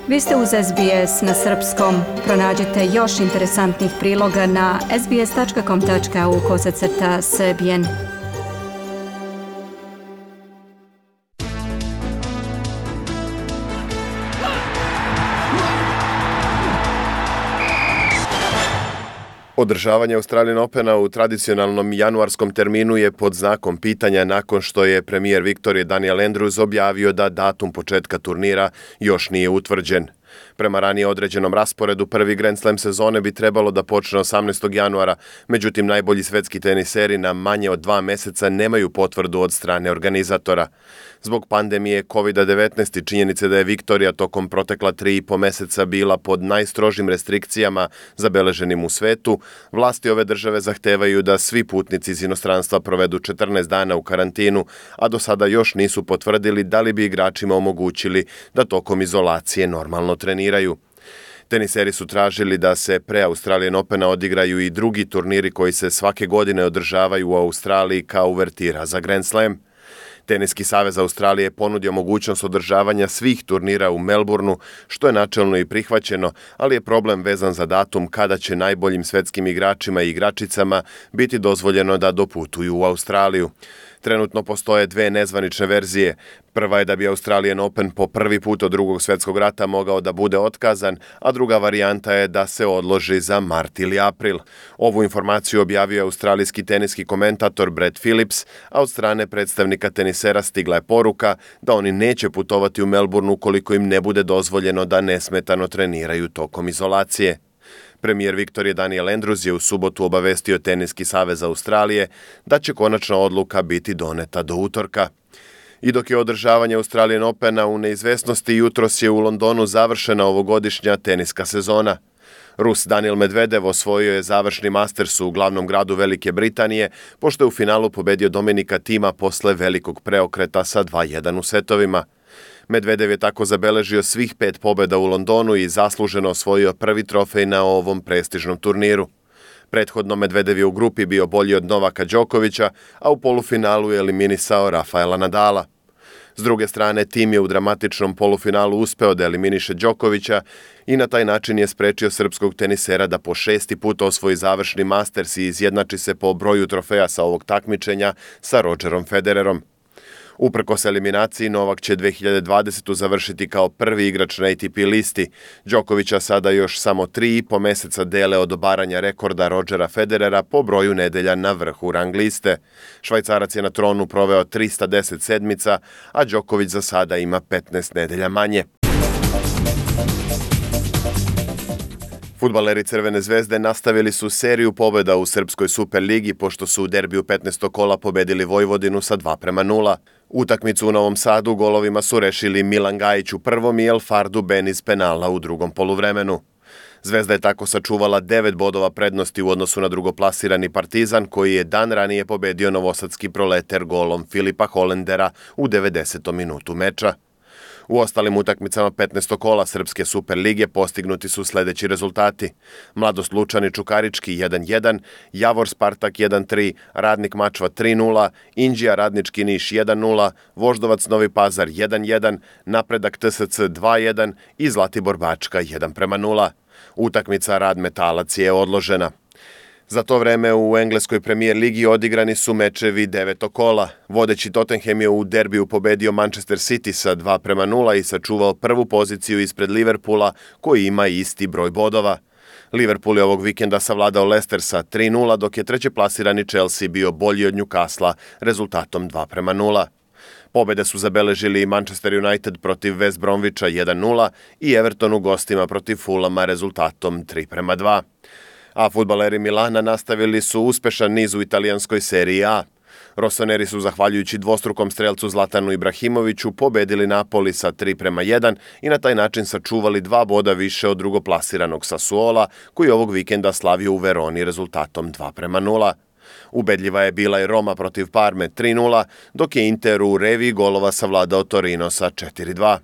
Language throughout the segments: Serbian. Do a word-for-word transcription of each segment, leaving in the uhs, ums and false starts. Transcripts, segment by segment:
Vi ste uz S B S na srpskom. Pronađite još interesantnih priloga na sbs.com.au kosacrta srbijen. Održavanje Australian Opena u tradicionalnom januarskom terminu je pod znakom pitanja nakon što je premijer Viktorije Daniel Andrews objavio da datum početka turnira još nije utvrđen. Prema ranije određenom rasporedu, prvi Grand Slam sezone bi trebalo da počne osamnaestog januara, međutim najbolji svetski teniseri na manje od dva meseca nemaju potvrdu od strane organizatora. Zbog pandemije kovid devetnaest i činjenice da je Viktorija tokom protekla tri i po meseca bila pod najstrožim restrikcijama zabeleženim u svetu, vlasti ove države zahtevaju da svi putnici iz inostranstva provedu četrnaest dana u karantinu, a do sada još nisu potvrdili da li bi igračima omogućili da tokom izolacije normalno treniraju. Teniseri su tražili da se pre Australian Opena odigraju i drugi turniri koji se svake godine održavaju u Australiji kao uvertira za Grand Slam. Teniski savez Australije je ponudio mogućnost održavanja svih turnira u Melbourneu, što je načelno i prihvaćeno, ali je problem vezan za datum kada će najboljim svetskim igračima i igračicama biti dozvoljeno da doputuju u Australiju. Trenutno postoje dve nezvanične verzije. Prva je da bi Australian Open po prvi put od drugog svjetskog rata mogao da bude otkazan, a druga varijanta je da se odloži za mart ili april. Ovu informaciju objavio je australijski teniski komentator Brad Phillips, a od strane predstavnika tenisera stigla je poruka da oni neće putovati u Melbourne ukoliko im ne bude dozvoljeno da nesmetano treniraju tokom izolacije. Premijer Viktorije Daniel Andrews je u subotu obavestio Teniski savez Australije da će konačna odluka biti doneta do utorka. I dok je održavanje Australian Opena u neizvesnosti, jutros je u Londonu završena ovogodišnja teniska sezona. Rus Daniil Medvedev osvojio je završni Masters u glavnom gradu Velike Britanije, pošto je u finalu pobedio Dominika Thima posle velikog preokreta sa dva jedan u setovima. Medvedev je tako zabeležio svih pet pobjeda u Londonu i zasluženo osvojio prvi trofej na ovom prestižnom turniru. Prethodno Medvedev je u grupi bio bolji od Novaka Đokovića, a u polufinalu je eliminisao Rafaela Nadala. S druge strane, Tim je u dramatičnom polufinalu uspeo da eliminiše Đokovića i na taj način je sprečio srpskog tenisera da po šesti put osvoji završni Masters i izjednači se po broju trofeja sa ovog takmičenja sa Rodgerom Federerom. Uprkos eliminaciji, Novak će dve hiljade dvadesete. završiti kao prvi igrač na A T P listi. Đokovića sada još samo tri i po meseca dele od obaranja rekorda Rodgera Federera po broju nedelja na vrhu rang liste. Švajcarac je na tronu proveo trista deset sedmica, a Đoković za sada ima petnaest nedelja manje. Fudbaleri Crvene zvezde nastavili su seriju pobjeda u Srpskoj Superligi pošto su u derbiju petnaestog kola pobedili Vojvodinu sa dva prema nula. Utakmicu u Novom Sadu golovima su rešili Milan Gajić u prvom i El Fardu Ben iz penala u drugom poluvremenu. Zvezda je tako sačuvala devet bodova prednosti u odnosu na drugoplasirani Partizan, koji je dan ranije pobedio novosadski Proleter golom Filipa Holendera u devedesetom minutu meča. U ostalim utakmicama petnaestog kola Srpske Superlige postignuti su sledeći rezultati. Mladost Lučani Čukarički jedan jedan, Javor Spartak jedan tri, Radnik Mačva tri nula, Inđija Radnički Niš jedan nula, Voždovac Novi Pazar jedan jedan, Napredak T S C dva jedan i Zlatibor Bačka jedan prema nula. Utakmica Rad Metalac je odložena. Za to vreme u engleskoj premijer ligi odigrani su mečevi devetog kola. Vodeći Tottenham je u derbiju pobedio Manchester City sa dva prema nula i sačuvao prvu poziciju ispred Liverpoola, koji ima isti broj bodova. Liverpool je ovog vikenda savladao Leicester sa tri nula, dok je treće plasirani Chelsea bio bolji od Newcastle rezultatom dva prema nula. Pobede su zabeležili i Manchester United protiv West Bromwicha jedan nula i Everton u gostima protiv Fulhama rezultatom tri prema dva. A fudbaleri Milana nastavili su uspešan niz u italijanskoj seriji A. Rossoneri su, zahvaljujući dvostrukom strelcu Zlatanu Ibrahimoviću, pobedili Napoli sa tri prema jedan i na taj način sačuvali dva boda više od drugoplasiranog Sassuola, koji ovog vikenda slavio u Veroni rezultatom dva prema nula. Ubedljiva je bila i Roma protiv Parme tri nula, dok je Inter u reviji golova savladao Torino sa četiri dva.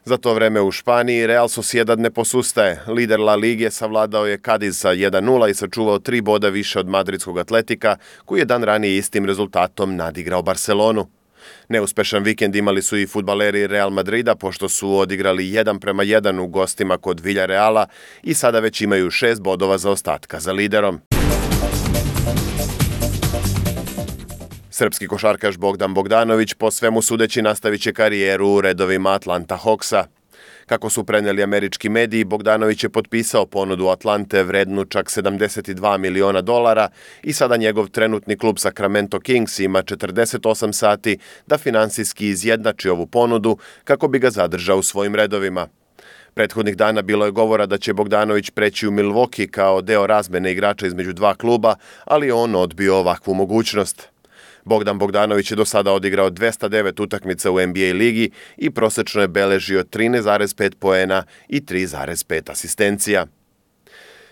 Za to vreme u Španiji Real Sociedad ne posustaje. Lider La Lige savladao je Cadiz sa jedan nula i sačuvao tri boda više od madridskog Atletika, koji je dan ranije istim rezultatom nadigrao Barcelonu. Neuspešan vikend imali su i fudbaleri Real Madrida pošto su odigrali jedan prema jedan u gostima kod Villareala i sada već imaju šest bodova zaostatka za liderom. Srpski košarkaš Bogdan Bogdanović po svemu sudeći nastavit će karijeru u redovima Atlanta Hawksa. Kako su preneli američki mediji, Bogdanović je potpisao ponudu Atlante vrednu čak sedamdeset dva miliona dolara i sada njegov trenutni klub Sacramento Kings ima četrdeset osam sati da finansijski izjednači ovu ponudu kako bi ga zadržao u svojim redovima. Prethodnih dana bilo je govora da će Bogdanović preći u Milwaukee kao deo razmene igrača između dva kluba, ali on odbio ovakvu mogućnost. Bogdan Bogdanović je do sada odigrao dvesta devet utakmica u N B A ligi i prosečno je beležio trinaest zarez pet poena i tri zarez pet asistencija.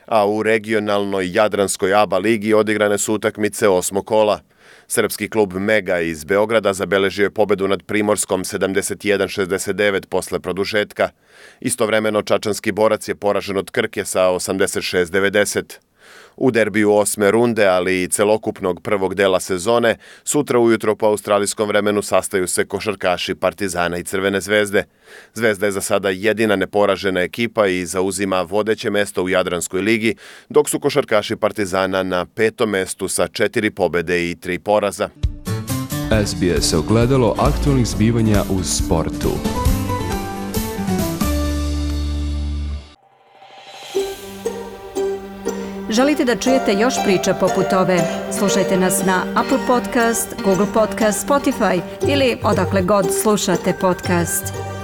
A u regionalnoj Jadranskoj A B A ligi odigrane su utakmice osmog kola. Srpski klub Mega iz Beograda zabeležio je pobedu nad Primorskom sedamdeset jedan šezdeset devet posle produžetka. Istovremeno Čačanski Borac je poražen od Krke sa osamdeset šest devedeset. U derbiju osme runde, ali i celokupnog prvog dela sezone, sutra ujutro po australijskom vremenu sastaju se košarkaši Partizana i Crvene zvezde. Zvezda je za sada jedina neporažena ekipa i zauzima vodeće mesto u Jadranskoj ligi, dok su košarkaši Partizana na petom mestu sa četiri pobede i tri poraza. S B S ogledalo aktualnih zbivanja u sportu. Želite da čujete još priča poput ove? Slušajte nas na Apple Podcast, Google Podcast, Spotify ili odakle god slušate podcast.